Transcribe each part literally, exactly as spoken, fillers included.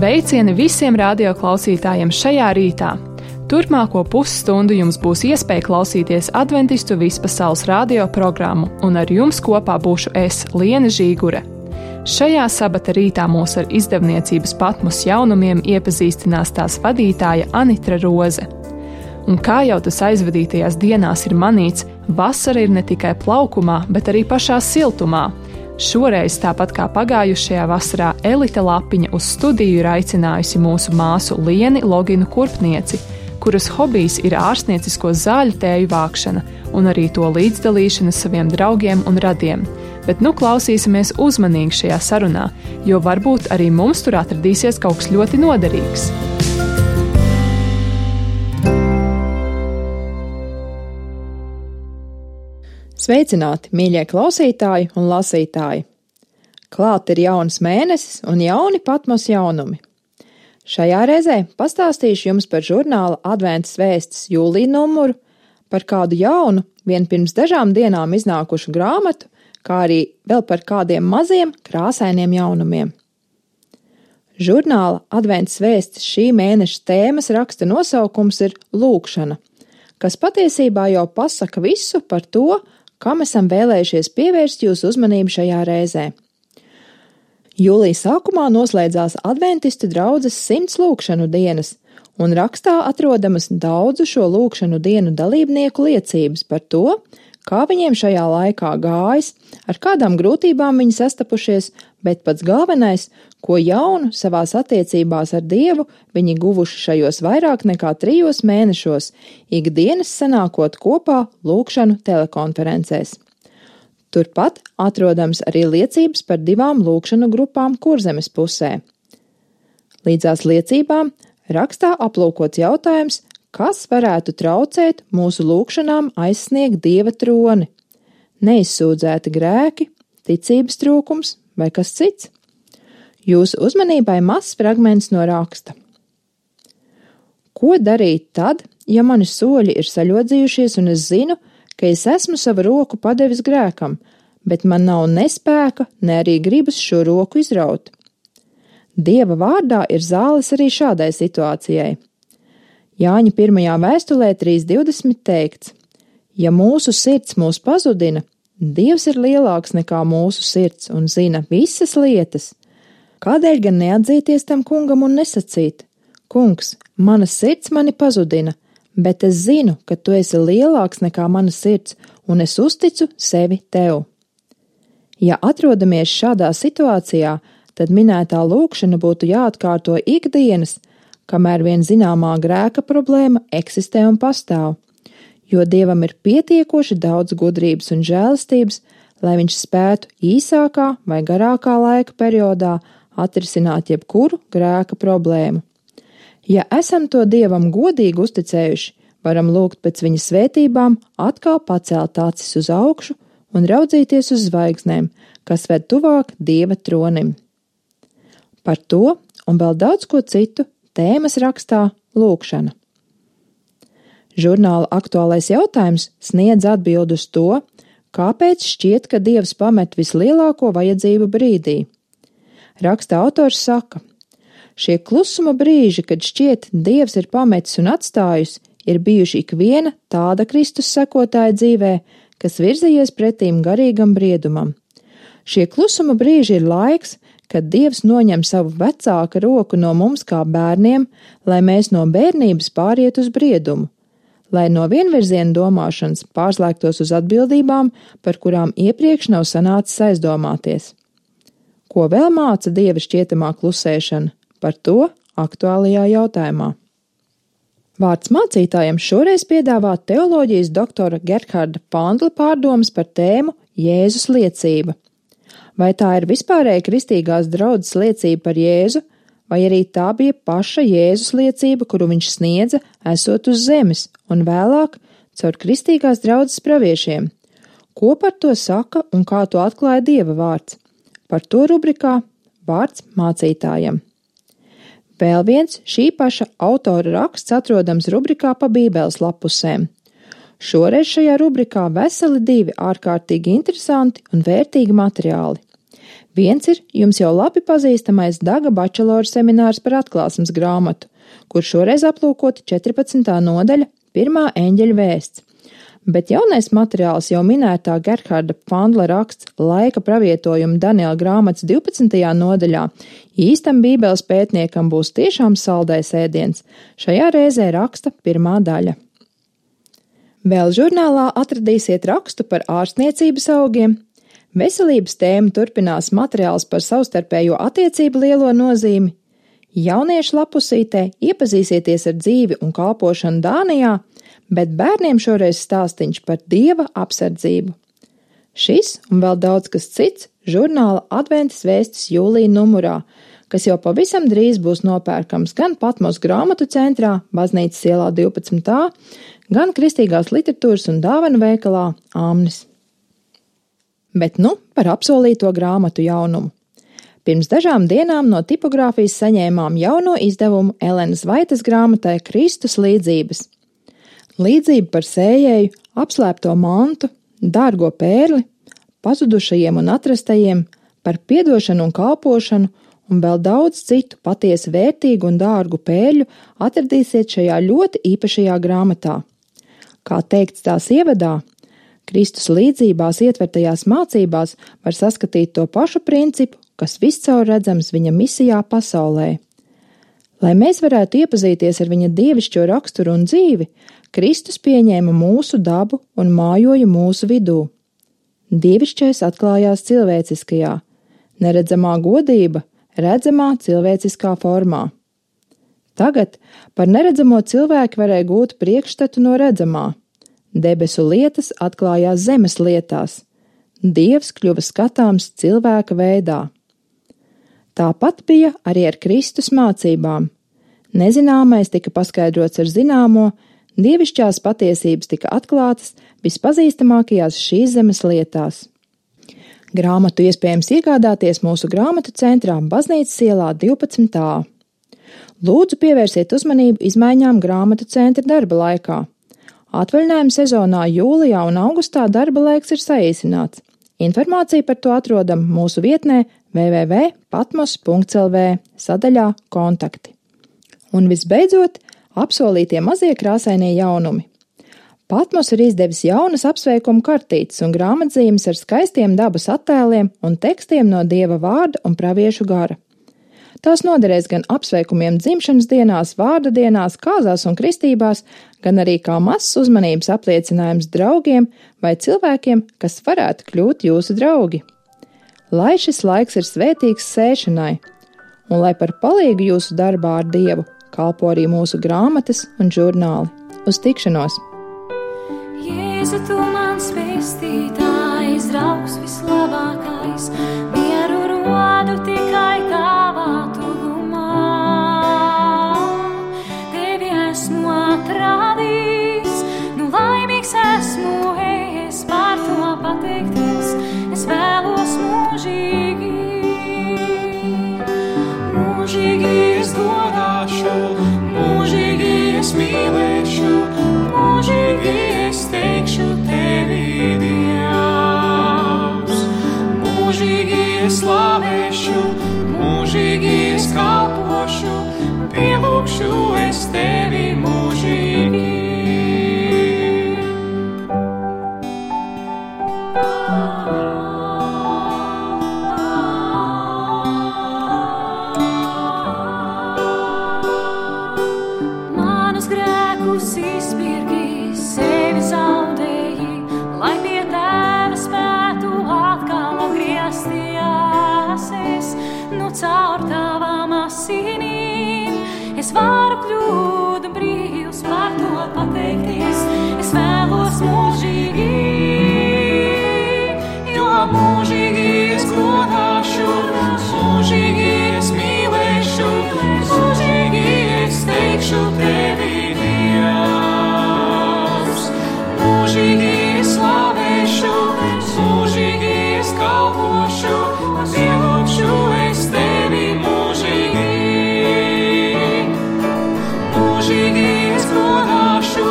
Sveicieni visiem radioklausītājiem šajā rītā! Turpmāko pusstundu jums būs iespēja klausīties Adventistu vispasaules radio programmu, un ar jums kopā būšu es, Liene Žīgure. Šajā sabata rītā mūs ar izdevniecības Patmos jaunumiem iepazīstinās tās vadītāja Anitra Roze. Un kā jau tas aizvadītajās dienās ir manīts, vasara ir ne tikai plaukumā, bet arī pašā siltumā. Šoreiz, tāpat kā pagājušajā vasarā, Elita Lapiņa uz studiju ir aicinājusi mūsu māsu Lieni Loginu Kurpnieci, kuras hobijs ir ārstniecisko zāļu tēju vākšana un arī to līdzdalīšana saviem draugiem un radiem. Bet nu klausīsimies uzmanīgi šajā sarunā, jo varbūt arī mums tur atradīsies kaut kas ļoti noderīgs. Sveicināti, mīļie klausītāji un lasītāji! Klāt ir jauns mēnesis un jauni Patmos jaunumi. Šajā reizē pastāstīšu jums par žurnāla Adventas vēstis jūlija numuru, par kādu jaunu, vien pirms dažām dienām iznākušu grāmatu, kā arī vēl par kādiem maziem krāsainiem jaunumiem. Žurnāla Adventas vēstis šī mēneša tēmas raksta nosaukums ir lūgšana, kas patiesībā jau pasaka visu par to, kam esam vēlējušies pievērst jūsu uzmanību šajā reizē. Jūlija sākumā noslēdzās adventistu draudzes simts lūgšanu dienas, un rakstā atrodamas daudzu šo lūgšanu dienu dalībnieku liecības par to, kā viņiem šajā laikā gājis, ar kādām grūtībām viņi sastapušies, bet pats galvenais, ko jaunu savās attiecībās ar Dievu viņi guvuši šajos vairāk nekā trijos mēnešos, ikdienas sanākot kopā lūgšanu telekonferencēs. Turpat atrodams arī liecības par divām lūgšanu grupām Kurzemes pusē. Līdzās liecībām rakstā aplūkots jautājums, kas varētu traucēt mūsu lūgšanām aizsniegt Dieva troni, neizsūdzēti grēki, ticības trūkums vai kas cits. Jūsu uzmanībai mazs fragments no raksta. Ko darīt tad, ja mani soļi ir saļodzījušies un es zinu, ka es esmu savu roku padevis grēkam, bet man nav ne spēka, ne arī gribas šo roku izraut? Dieva vārdā ir zāles arī šādai situācijai. Jāņa pirmajā vēstulē trīs divdesmit teikts: ja mūsu sirds mūs pazudina, Dievs ir lielāks nekā mūsu sirds un zina visas lietas. Kādēļ gan neatzīties tam kungam un nesacīt: kungs, mana sirds mani pazudina, bet es zinu, ka tu esi lielāks nekā mana sirds, un es uzticu sevi tev. Ja atrodamies šādā situācijā, tad minētā lūgšana būtu jāatkārto ikdienas, kamēr vien zināmā grēka problēma eksistē un pastāv, jo Dievam ir pietiekoši daudz gudrības un žēlastības, lai viņš spētu īsākā vai garākā laika periodā atrisināt jebkuru grēka problēmu. Ja esam to Dievam godīgi uzticējuši, varam lūgt pēc viņa svētībām atkal pacelt acis uz augšu un raudzīties uz zvaigznēm, kas ved tuvāk Dieva tronim. Par to un vēl daudz ko citu tēmas rakstā lūgšana. Žurnāla aktuālais jautājums sniedz atbildi uz to, kāpēc šķiet, ka Dievs pamet vislielāko vajadzību brīdī. Raksta autors saka: šie klusuma brīži, kad šķiet Dievs ir pametis un atstājus, ir bijuši ikviena tāda Kristus sekotāja dzīvē, kas virzījies pretīm garīgam briedumam. Šie klusuma brīži ir laiks, kad Dievs noņem savu vecāka roku no mums kā bērniem, lai mēs no bērnības pāriet uz briedumu, lai no vienvirziena domāšanas pārslēgtos uz atbildībām, par kurām iepriekš nav sanācis aizdomāties. Ko vēl māca Dieva šķietamā klusēšana? Par to aktuālajā jautājumā. Vārds mācītājiem šoreiz piedāvā teoloģijas doktora Gerharda Pandla pārdomas par tēmu Jēzus liecība. Vai tā ir vispārēja kristīgās draudzes liecība par Jēzu, vai arī tā bija paša Jēzus liecība, kuru viņš sniedza, esot uz zemes, un vēlāk caur kristīgās draudzes praviešiem? Ko par to saka un kā to atklāja Dieva vārds? Par to rubrikā Vārds mācītājam. Vēl viens šī paša autora raksts atrodams rubrikā pa Bībeles lapusēm. Šoreiz šajā rubrikā veseli divi ārkārtīgi interesanti un vērtīgi materiāli. Viens ir jums jau labi pazīstamais Daga bačalora seminārs par atklāsmes grāmatu, kur šoreiz aplūkota četrpadsmitā nodaļa, pirmā eņģeļa vēsts. Bet jaunais materiāls jau minētā Gerharda Pfandla raksts laika pravietojuma Daniela grāmatas divpadsmitajā nodaļā īstam bībeles pētniekam būs tiešām saldais ēdiens. Šajā reizē raksta pirmā daļa. Vēl žurnālā atradīsiet rakstu par ārstniecības augiem. Veselības tēma turpinās materiāls par savstarpējo attiecību lielo nozīmi. Jauniešu lapusītē iepazīsieties ar dzīvi un kalpošanu Dānijā, bet bērniem šoreiz stāstiņš par Dieva apsardzību. Šis un vēl daudz kas cits žurnāla Adventas vēstis jūlija numurā, kas jau pavisam drīz būs nopērkams gan Patmos grāmatu centrā, Baznīcas ielā divpadsmit A, gan Kristīgās literatūras un dāvanu veikalā Āmnis. Bet nu par apsolīto grāmatu jaunumu. Pirms dažām dienām no tipogrāfijas saņēmām jauno izdevumu Elenas Vaitas grāmatai Kristus līdzības. Līdzība par sējēju, apslēpto mantu, dārgo pērli, pazudušajiem un atrastajiem, par piedošanu un kalpošanu un vēl daudz citu patiesi vērtīgu un dārgu pērļu atradīsiet šajā ļoti īpašajā grāmatā. Kā teikts tās ievadā, Kristus līdzībās ietvertajās mācībās var saskatīt to pašu principu, kas viscaur redzams viņa misijā pasaulē. Lai mēs varētu iepazīties ar viņa dievišķo raksturu un dzīvi, Kristus pieņēma mūsu dabu un mājoja mūsu vidū. Dievišķais atklājās cilvēciskajā, neredzamā godība, redzamā cilvēciskā formā. Tagad par neredzamo cilvēku varēja gūt priekšstatu no redzamā. Debesu lietas atklājās zemes lietās. Dievs kļuva skatāms cilvēka veidā. Tāpat bija arī ar Kristus mācībām. Nezināmais tika paskaidrots ar zināmo, dievišķās patiesības tika atklātas vispazīstamākajās šīs zemes lietās. Grāmatu iespējams iegādāties mūsu grāmatu centrā Baznīcas ielā divpadsmit A. Lūdzu pievērsiet uzmanību izmaiņām grāmatu centra darba laikā. Atvaļinājuma sezonā jūlijā un augustā darba laiks ir saīsināts. Informāciju par to atrodam mūsu vietnē w w w punkt patmos punkt l v sadaļā kontakti. Un visbeidzot, apsolītie mazie krāsainie jaunumi. Patmos ir izdevis jaunas apsveikumu kartītes un grāmatzīmes ar skaistiem dabas attēliem un tekstiem no Dieva vārda un praviešu gara. Tās noderēs gan apsveikumiem dzimšanas dienās, vārda dienās, kāzās un kristībās, gan arī kā mazs uzmanības apliecinājums draugiem vai cilvēkiem, kas varētu kļūt jūsu draugi. Lai šis laiks ir svētīgs sēšanai, un lai par palīgu jūsu darbā ar Dievu kalpo arī mūsu grāmatas un žurnāli. Uz tikšanos! Jēzu, tu mans pestītājs, draugs vislabākais, mieru rodu tikai tavā tuvumā. Tevi esmu atradījis, nu laimīgs esmu es par to pateikties, es vēlos mūžīgi. Mūžīgi es godāšu, mūžīgi es mīlēšu, mūžīgi es teikšu tevi, Dievs. Mūžīgi es slavēšu, mūžīgi es kalpošu, pielūgšu es tevi mūžīgi. Manus grēkus izpirki, sevi zaudēji, lai pie tēva spētu atkal atgriezties es. Nu caur tavām asinīm es varu kļūt brīvs, par to pateikties. Es vēlos mūžīgi, jo mūžīgi es godāšu, mūžīgi es mīlēšu, mūžīgi es teikšu tevi, Dievs. Mūžīgi es slavēšu, mūžīgi es kalpošu, pielūgšu es tevi mūžīgi. Mūžīgi es godāšu,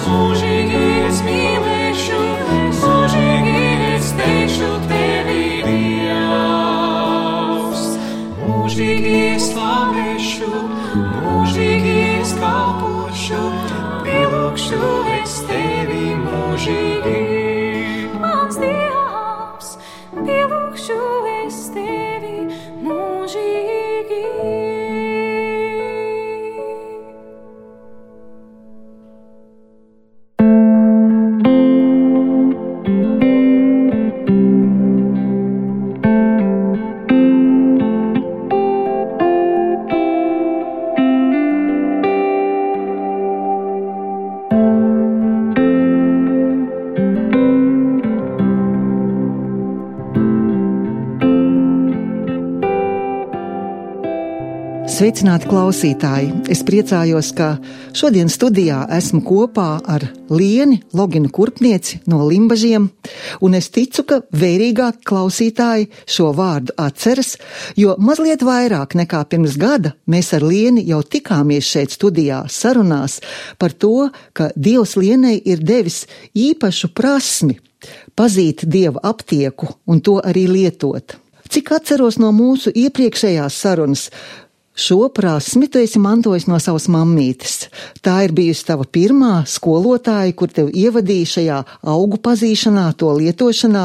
mūžīgi es mīlēšu, mūžīgi es teikšu tevi, Dievs. pielūgšu es tevi mūžīgi. Mans Dievs, pielūgšu es tevi mūžīgi. Sveicināti klausītāji! Es priecājos, ka šodien studijā esmu kopā ar Lieni, Loginu Kurpnieci no Limbažiem, un es ticu, ka vērīgāk klausītāji šo vārdu atceras, jo mazliet vairāk nekā pirms gada mēs ar Lieni jau tikāmies šeit studijā sarunās par to, ka Dievs Lienei ir devis īpašu prasmi pazīt Dieva aptieku un to arī lietot. Cik atceros no mūsu iepriekšējās sarunas, šo prasmi tu esi mantojis no savas mammītes. Tā ir bijusi tava pirmā skolotāja, kur tev ievadīja šajā augu pazīšanā, to lietošanā.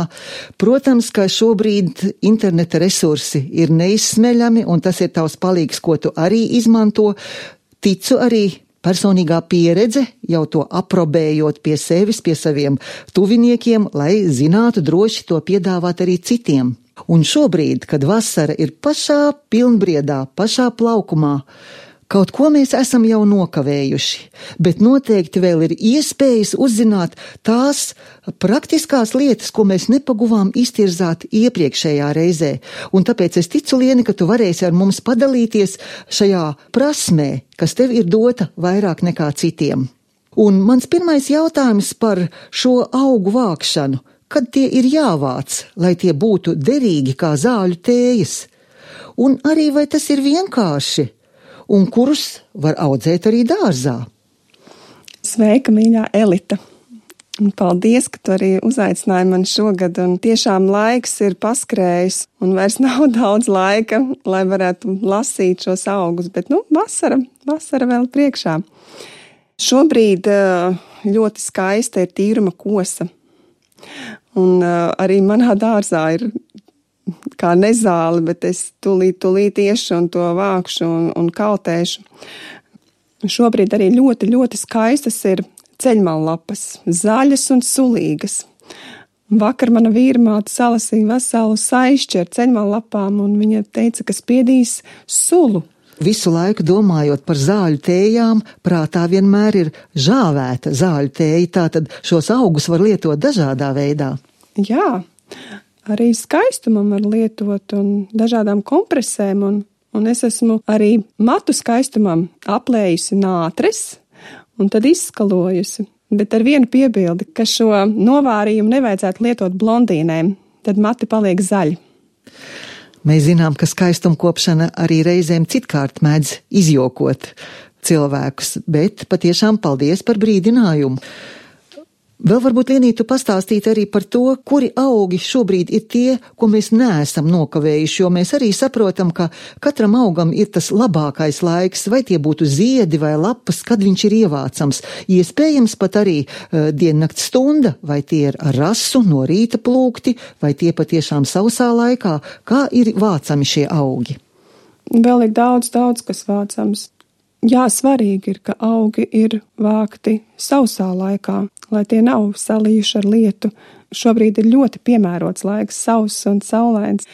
Protams, ka šobrīd interneta resursi ir neizsmeļami, un tas ir tavs palīgs, ko tu arī izmanto. Ticu arī personīgā pieredze, jau to aprobējot pie sevis, pie saviem tuviniekiem, lai zinātu droši to piedāvāt arī citiem. Un šobrīd, kad vasara ir pašā pilnbriedā, pašā plaukumā, kaut ko mēs esam jau nokavējuši, bet noteikti vēl ir iespējas uzzināt tās praktiskās lietas, ko mēs nepaguvām iztirzāt iepriekšējā reizē. Un tāpēc es ticu, Lieni, ka tu varēsi ar mums padalīties šajā prasmē, kas tev ir dota vairāk nekā citiem. Un mans pirmais jautājums par šo augu vākšanu. Kad tie ir jāvāc, lai tie būtu derīgi kā zāļu tējas? Un arī vai tas ir vienkārši? Un kurus var audzēt arī dārzā? Sveika, mīļā Elita! Un paldies, ka tu arī uzaicināji mani šogad, un tiešām laiks ir paskrējis, un vairs nav daudz laika, lai varētu lasīt šos augus, bet, nu, vasara, vasara vēl priekšā. Šobrīd ļoti skaista ir tīruma kosa. Un uh, arī manā dārzā ir kā nezāle, bet es tūlīt, tūlīt iešu un to vākšu un, un kaltēšu. Šobrīd arī ļoti, ļoti skaistas ir ceļmallapas, zaļas un sulīgas. Vakar mana vīrmāte salasīja veselu saišķi ar ceļmallapām, un viņa teica, ka spiedīs sulu. Visu laiku domājot par zāļu tējām, prātā vienmēr ir žāvēta zāļu tēja, tātad šos augus var lietot dažādā veidā. Jā, arī skaistumam var lietot un dažādām kompresēm, un, un es esmu arī matu skaistumam aplējusi nātres un tad izskalojusi, bet ar vienu piebildi, ka šo novārījumu nevajadzētu lietot blondīnēm, tad mati paliek zaļi. Mēs zinām, ka skaistumkopšana arī reizēm citkārt mēdz izjokot cilvēkus, bet patiešām paldies par brīdinājumu. Vēl varbūt, Lienī, tu pastāstīt arī par to, kuri augi šobrīd ir tie, ko mēs neesam nokavējuši, jo mēs arī saprotam, ka katram augam ir tas labākais laiks, vai tie būtu ziedi vai lapas, kad viņš ir ievācams. Iespējams pat arī uh, diennakts stunda, vai tie ir ar rasu no rīta plūkti, vai tie patiešām sausā laikā, kā ir vācami šie augi. Vēl ir daudz, daudz, kas vācams. Jā, svarīgi ir, ka augi ir vākti sausā laikā, lai tie nav salījuši ar lietu. Šobrīd ir ļoti piemērots laiks, sauss un saulains.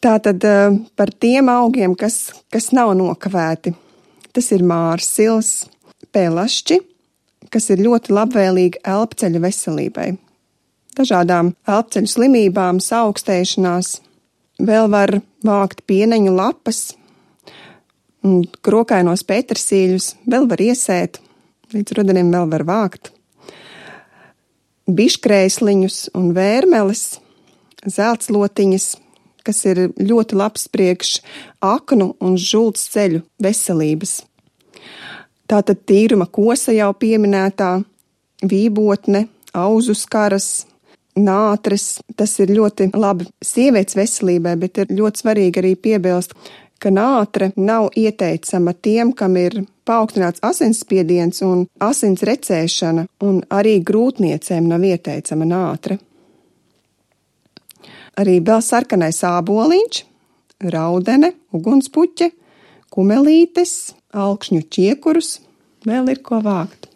Tātad par tiem augiem, kas, kas nav nokavēti, tas ir mārsils, pelašķi, kas ir ļoti labvēlīgi elpceļu veselībai. Dažādām elpceļu slimībām, saaugstēšanās, vēl var vākt pieneņu lapas, un krokainos petersīļus vēl var iesēt, līdz rudenim vēl var vākt. Biškrēsliņus un vērmeles, zeltslotiņas, kas ir ļoti labs priekš aknu un žults ceļu veselības. Tātad tīruma kosa jau pieminētā, vībotne, auzu skaras, nātres, tas ir ļoti labi sievietes veselībai, bet ir ļoti svarīgi arī piebilst, ka nātre nav ieteicama tiem, kam ir paaugstināts asinsspiediens un asins recēšana, un arī grūtniecēm nav ieteicama nātre. Arī vēl sarkanais āboliņš, raudene, ugunspuķe, kumelītes, alkšņu ķiekurus, vēl ir ko vākt.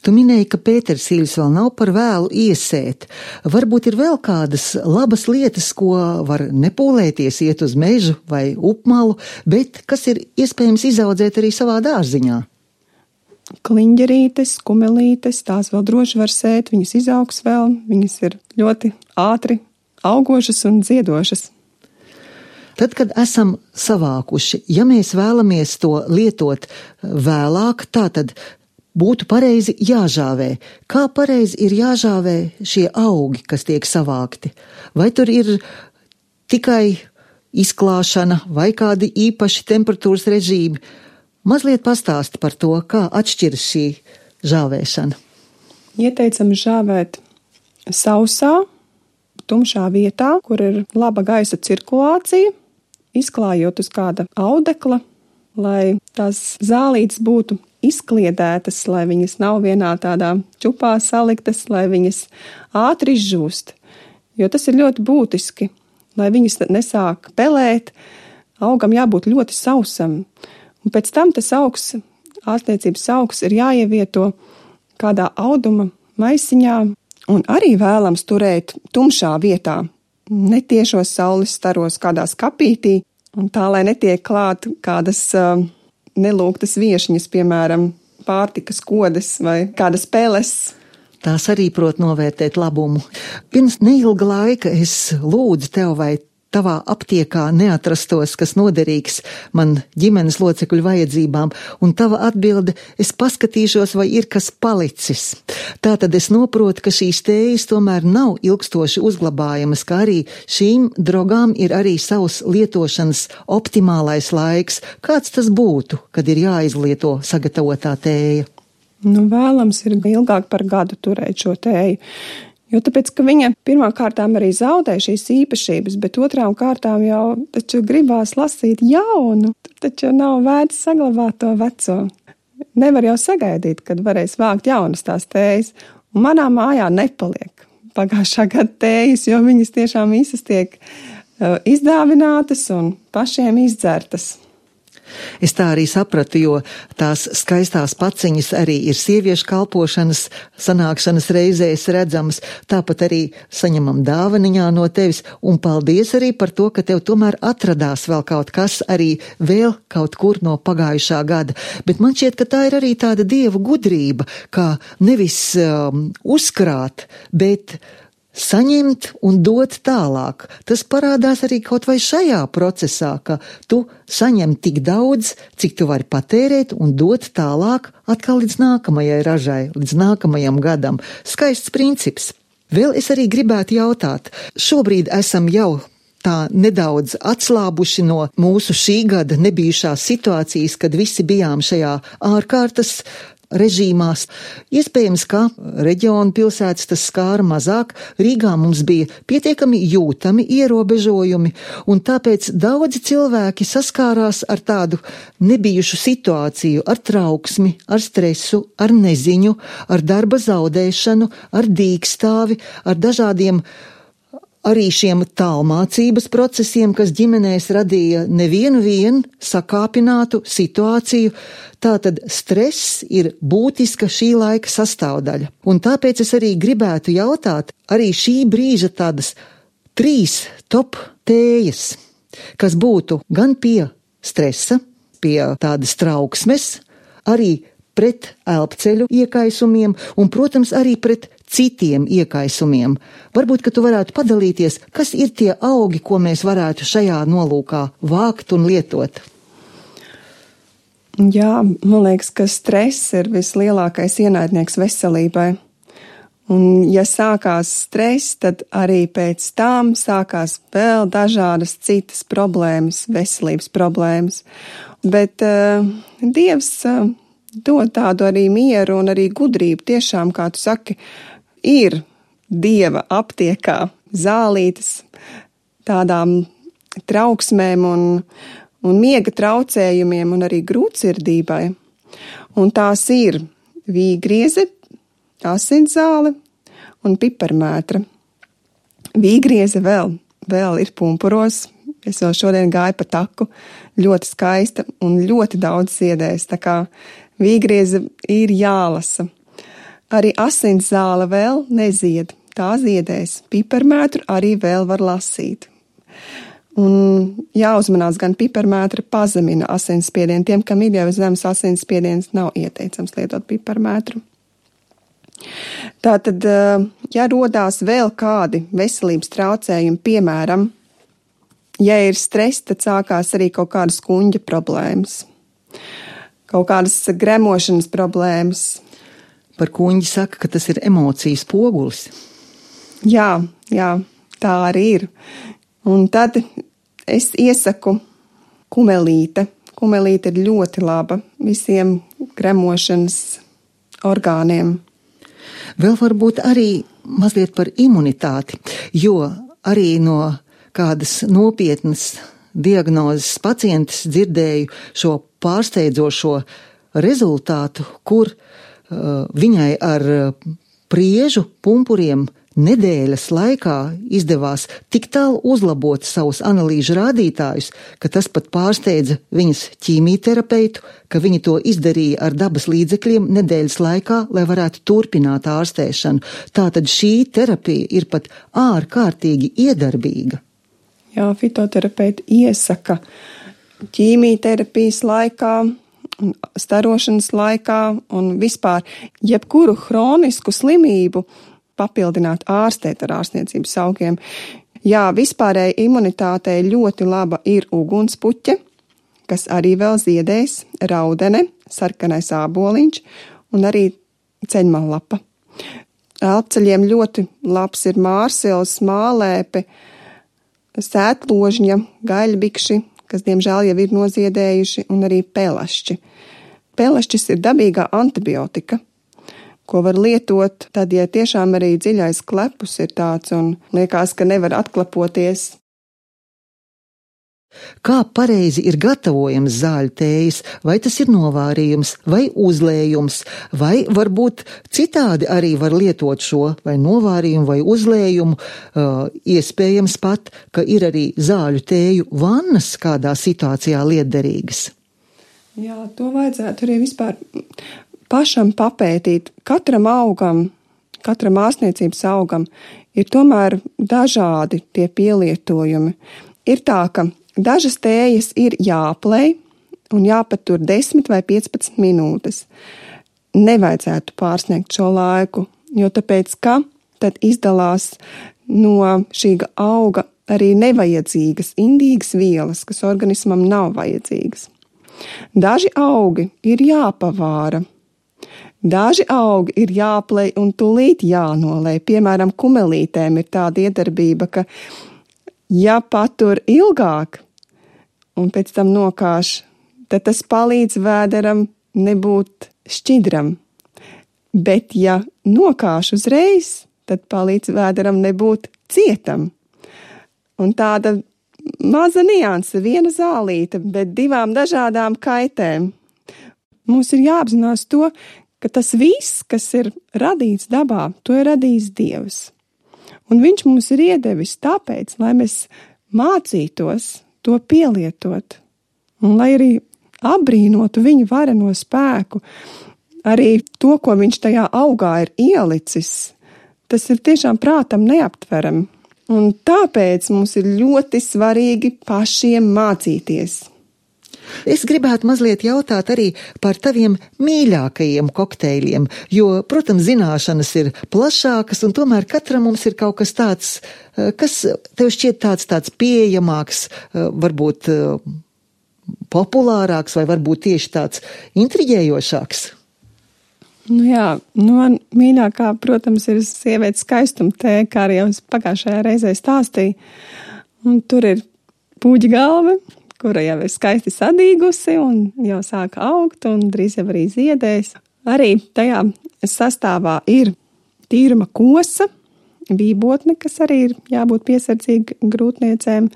Tu minēji, ka pētersīļus vēl nav par vēlu iesēt. Varbūt ir vēl kādas labas lietas, ko var nepūlēties iet uz mežu vai upmalu, bet kas ir iespējams izaudzēt arī savā dārziņā? Kliņģerītes, kumelītes, tās vēl droši var sēt, viņas izaugs vēl, viņas ir ļoti ātri augošas un dziedošas. Tad, kad esam savākuši, ja mēs vēlamies to lietot vēlāk, tātad būtu pareizi jāžāvē. Kā pareizi ir jāžāvē šie augi, kas tiek savākti? Vai tur ir tikai izklāšana vai kādi īpaši temperatūras režīmi? Mazliet pastāsti par to, kā atšķiras šī žāvēšana. Ieteicam žāvēt sausā, tumšā vietā, kur ir laba gaisa cirkulācija, izklājot uz kāda audekla, lai tās zālītes būtu izkliedētas, lai viņas nav vienā tādā čupā saliktas, lai viņas ātri izžūst. Jo tas ir ļoti būtiski, lai viņas nesāk pelēt, augam jābūt ļoti sausam. Un pēc tam tas augs, ārstniecības augs ir jāievieto kādā auduma maisiņā un arī vēlams turēt tumšā vietā, netiešos saules staros kādā skapītī, un tā, lai netiek klāt kādas uh, nelūgtas viešņas, piemēram, pārtikas kodes vai kādas peles. Tās arī prot novērtēt labumu. Pirms neilga laika es lūdzu tev, vai tavā aptiekā neatrastos, kas noderīgs man ģimenes locekļu vajadzībām, un tava atbilde, es paskatīšos, vai ir kas palicis. Tātad es noprotu, ka šīs tējas tomēr nav ilgstoši uzglabājamas, kā arī šīm drogām ir arī savs lietošanas optimālais laiks. Kāds tas būtu, kad ir jāizlieto sagatavotā tēja? Nu, vēlams ir ilgāk par gadu turēt šo tēju. Jo tāpēc, ka viņa pirmām kārtām arī zaudē šīs īpašības, bet otrām kārtām jau taču gribās lasīt jaunu, taču nav vērts saglabāt to veco. Nevar jau sagaidīt, kad varēs vākt jaunas tās tējas, un manā mājā nepaliek pagājušā gada tējas, jo viņas tiešām visas tiek izdāvinātas un pašiem izdzertas. Es tā arī sapratu, jo tās skaistās paciņas arī ir sieviešu kalpošanas, sanākšanas reizēs redzamas, tāpat arī saņemam dāvaniņā no tevis, un paldies arī par to, ka tev tomēr atradās vēl kaut kas arī vēl kaut kur no pagājušā gada. Bet man šķiet, ka tā ir arī tāda dievu gudrība, kā nevis um, uzkrāt, bet saņemt un dot tālāk. Tas parādās arī kaut vai šajā procesā, ka tu saņem tik daudz, cik tu vari patērēt un dot tālāk atkal līdz nākamajai ražai, līdz nākamajam gadam. Skaists princips. Vēl es arī gribētu jautāt, šobrīd esam jau tā nedaudz atslābuši no mūsu šī gada nebijušās situācijas, kad visi bijām šajā ārkārtas režīmās. Iespējams, ka reģionu pilsētas tas skāra mazāk, Rīgā mums bija pietiekami jūtami ierobežojumi, un tāpēc daudzi cilvēki saskārās ar tādu nebijušu situāciju, ar trauksmi, ar stresu, ar neziņu, ar darba zaudēšanu, ar dīkstāvi, ar dažādiem arī šiem tālmācības procesiem, kas ģimenēs radīja nevienu vien sakāpinātu situāciju. Tātad stress ir būtiska šī laika sastāvdaļa. Un tāpēc es arī gribētu jautāt arī šī brīža tādas trīs top tējas, kas būtu gan pie stresa, pie tādas trauksmes, arī pret elpceļu iekaisumiem un, protams, arī pret citiem iekaisumiem. Varbūt, ka tu varētu padalīties, kas ir tie augi, ko mēs varētu šajā nolūkā vākt un lietot? Jā, man liekas, ka stress ir vislielākais ienaidnieks veselībai. Un ja sākās stress, tad arī pēc tam sākās vēl dažādas citas problēmas, veselības problēmas. Bet uh, Dievs uh, dod tādu arī mieru un arī gudrību. Tiešām, kā tu saki, ir Dieva aptiekā zālītes tādām trauksmēm un, un miega traucējumiem un arī grūtsirdībai. Un tās ir vīgrieze, asinszāle un piparmētra. Vīgrieze vēl, vēl ir pumpuros. Es vēl šodien gāju pa taku, ļoti skaista un ļoti daudz ziedēs, tā kā vīgrieze ir jālasa. Arī asinszāle vēl nezied, tā ziedēs. Piparmētru arī vēl var lasīt. Un jāuzmanās, gan piparmētra pazemina asinsspiedienu. Tiem, kam ir jau zemes asinsspiediens, nav ieteicams lietot piparmētru. Tātad, ja rodās vēl kādi veselības traucējumi, piemēram, ja ir stress, tad sākās arī kaut kādas kuņģa problēmas, kaut kādas gremošanas problēmas. Par kuņģi saka, ka tas ir emocijas pogulis. Jā, jā, tā arī ir. Un tad es iesaku kumelīte. Kumelīte ir ļoti laba visiem gremošanas orgāniem. Vēl varbūt arī mazliet par imunitāti, jo arī no kādas nopietnas diagnozes pacientes dzirdēju šo pārsteidzošo rezultātu, kur uh, viņai ar priežu pumpuriem nedēļas laikā izdevās tik tālu uzlabot savus analīžu rādītājus, ka tas pat pārsteidza viņas ķīmijterapeitu, ka viņi to izdarīja ar dabas līdzekļiem nedēļas laikā, lai varētu turpināt ārstēšanu. Tātad šī terapija ir pat ārkārtīgi iedarbīga. Jā, fitoterapeiti iesaka ķīmijterapijas laikā, starošanas laikā un vispār jebkuru hronisku slimību papildināt ārstēt ar ārstniecības augiem. Jā, vispārēji imunitātei ļoti laba ir ugunspuķe, kas arī vēl ziedēs, raudene, sarkanais āboliņš un arī ceļmallapa. Elpceļiem ļoti labs ir mārsils, mālēpe, sētložņa, gaļbikši, kas diemžēl jau ir noziedējuši, un arī pelašķi. Pelašķis ir dabīgā antibiotika, ko var lietot, tad, ja tiešām arī dziļais klepus ir tāds un liekas, ka nevar atklapoties. Kā pareizi ir gatavojams zāļu tējas, vai tas ir novārījums, vai uzlējums, vai varbūt citādi arī var lietot šo, vai novārījumu, vai uzlējumu, uh, iespējams pat, ka ir arī zāļu tēju vannas kādā situācijā lietderīgas. Jā, to vajadzētu arī vispār pašam papētīt. Katram augam, katram ārstniecības augam ir tomēr dažādi tie pielietojumi. Ir tā, ka dažas tējas ir jāplej un jāpatur desmit vai piecpadsmit minūtes. Nevajadzētu pārsniegt šo laiku, jo tāpēc, ka tad izdalās no šī auga arī nevajadzīgas indīgas vielas, kas organismam nav vajadzīgas. Daži augi ir jāpavāra. Daži augi ir jāplej un tūlīt jānolej. Piemēram, kumelītēm ir tāda iedarbība, ka ja patur ilgāk un pēc tam nokāš, tad tas palīdz vēderam nebūt šķidram. Bet ja nokāš uzreiz, tad palīdz vēderam nebūt cietam. Un tāda maza nianse, viena zālīte, bet divām dažādām kaitēm. Mums ir jāapzinās to, ka tas viss, kas ir radīts dabā, to ir radījis Dievs. Un viņš mums ir iedevis tāpēc, lai mēs mācītos to pielietot. Un lai arī apbrīnotu viņa vareno spēku, arī to, ko viņš tajā augā ir ielicis, tas ir tiešām prātam neaptveram. Un tāpēc mums ir ļoti svarīgi pašiem mācīties. Es gribētu mazliet jautāt arī par taviem mīļākajiem kokteļiem, jo, protams, zināšanas ir plašākas, un tomēr katram mums ir kaut kas tāds, kas tev šķiet tāds, tāds pieejamāks, varbūt populārāks, vai varbūt tieši tāds intriģējošāks. Nu jā, nu man mīļākā, protams, ir sievietes skaistuma tēja, kā arī jau pagājušajā reizē stāstīju. Un tur ir puģa galva, kura jau ir skaisti sadīgusi un jau sāka augt un drīz jau arī ziedēs. Arī tajā sastāvā ir tīruma kosa, vībotne, kas arī ir jābūt piesardzīga grūtniecēm,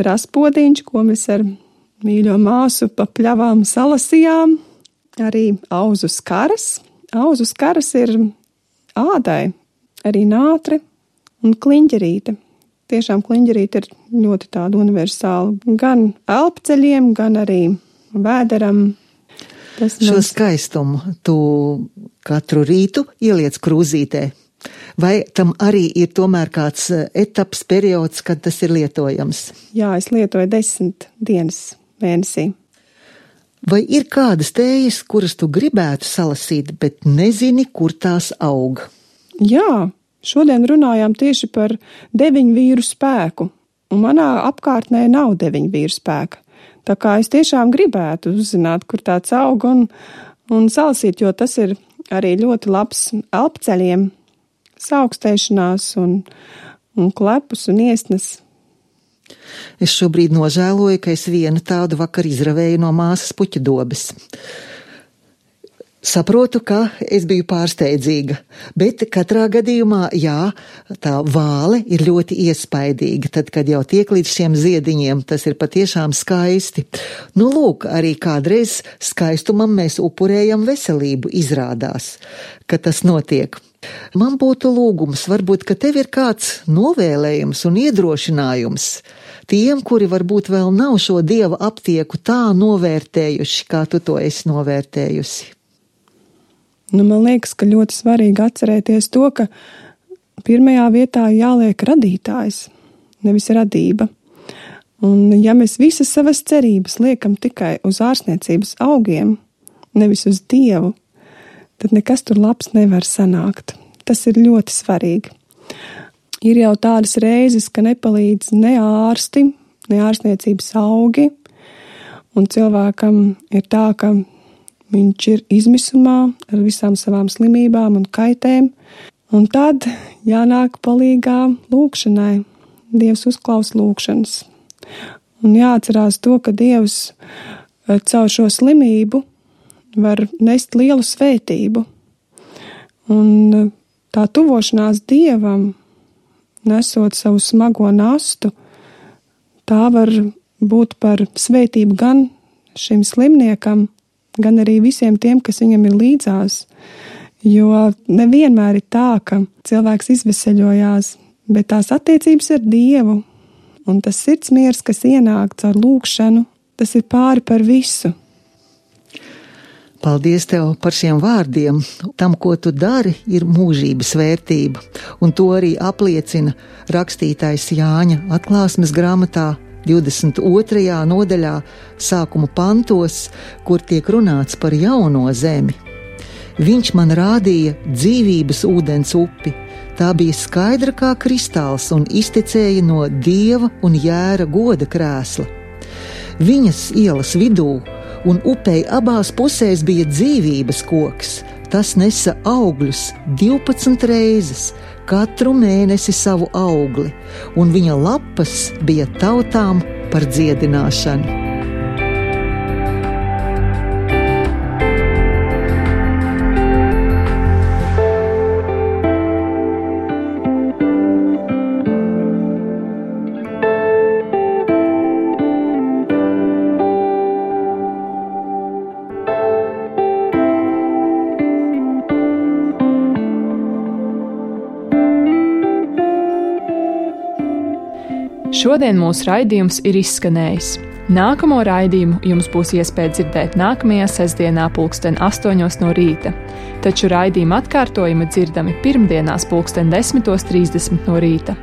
raspodiņš, ko mēs ar mīļo māsu pa pļavām salasījām, arī auzu skaras. Auzu skaras ir ādai, arī nātre un kliņģerīte. Tiešām kliņģerīte ir ļoti tāda universāla. Gan elpceļiem, gan arī vēderam. Tas Šo mums... skaistumu tu katru rītu ieliec krūzītē. Vai tam arī ir tomēr kāds etaps, periods, kad tas ir lietojams? Jā, es lietoju desmit dienas mēnesī. Vai ir kādas tējas, kuras tu gribētu salasīt, bet nezini, kur tās aug? Jā, šodien runājām tieši par deviņu vīru spēku, un manā apkārtnē nav deviņu vīru spēka. Tā kā es tiešām gribētu uzzināt, kur tāds aug un, un salasīt, jo tas ir arī ļoti labs elpceļiem, saaugstēšanās un, un klepus un iesnas. Es šobrīd nožēloju, ka es vienu tādu vakar izravēju no māsas puķa dobes. Saprotu, ka es biju pārsteidzīga, bet katrā gadījumā, jā, tā vāle ir ļoti iespaidīga, tad, kad jau tiek līdz šiem ziediņiem, tas ir patiešām skaisti. Nu, lūk, arī kādreiz skaistumam mēs upurējam veselību, izrādās, ka tas notiek. Man būtu lūgums, varbūt, ka tev ir kāds novēlējums un iedrošinājums tiem, kuri varbūt vēl nav šo dieva aptieku tā novērtējuši, kā tu to esi novērtējusi. Nu, man liekas, ka ļoti svarīgi atcerēties to, ka pirmajā vietā jāliek radītājs, nevis radība. Un ja mēs visas savas cerības liekam tikai uz ārstniecības augiem, nevis uz Dievu, tad nekas tur labs nevar sanākt. Tas ir ļoti svarīgi. Ir jau tādas reizes, ka nepalīdz ne ārsti, ne ārstniecības augi, un cilvēkam ir tā, ka viņš ir izmisumā ar visām savām slimībām un kaitēm, un tad jānāk palīgā lūkšanai. Dievs uzklaus lūkšanas. Un jāatcerās to, ka Dievs caur šo slimību var nest lielu svētību. Un tā tuvošanās Dievam, nesot savu smago nastu, tā var būt par svētību gan šim slimniekam, gan arī visiem tiem, kas viņam ir līdzās. Jo nevienmēr ir tā, ka cilvēks izveseļojās, bet tās attiecības ar Dievu un tas sirdsmiers, kas ienāk caur lūkšanu, tas ir pāri par visu. Paldies tev par šiem vārdiem. Tam, ko tu dari, ir mūžības vērtība, un to arī apliecina rakstītājs Jāņa atklāsmes grāmatā divdesmit otrajā nodaļā sākuma pantos, kur tiek runāts par jauno zemi. Viņš man rādīja dzīvības ūdens upi. Tā bija skaidra kā kristāls un iztecēja no Dieva un Jēra goda krēsla. Viņas ielas vidū un upei abās pusēs bija dzīvības koks. Tas nesa augļus divpadsmit reizes, katru mēnesi savu augli, un viņa lapas bija tautām par dziedināšanu. Šodien mūsu raidījums ir izskanējis. Nākamo raidījumu jums būs iespēja dzirdēt nākamajā sestdienā pulksten astoņos no rīta, taču raidījuma atkārtojumi dzirdami pirmdienās pulksten desmitos trīsdesmit no rīta.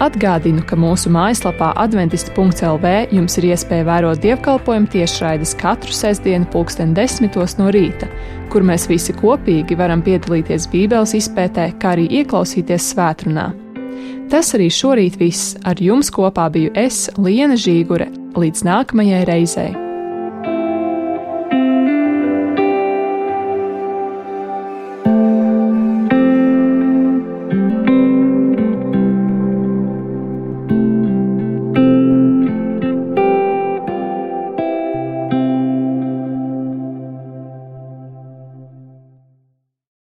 Atgādinu, ka mūsu mājaslapā adventisti punkts el vē jums ir iespēja vērot dievkalpojumu tiešraides katru sestdienu pulksten desmitos no rīta, kur mēs visi kopīgi varam piedalīties Bībeles izpētē, kā arī ieklausīties svētrunā. Tas arī šorīt viss. Ar jums kopā biju es, Liena Žīgure. Līdz nākamajai reizei!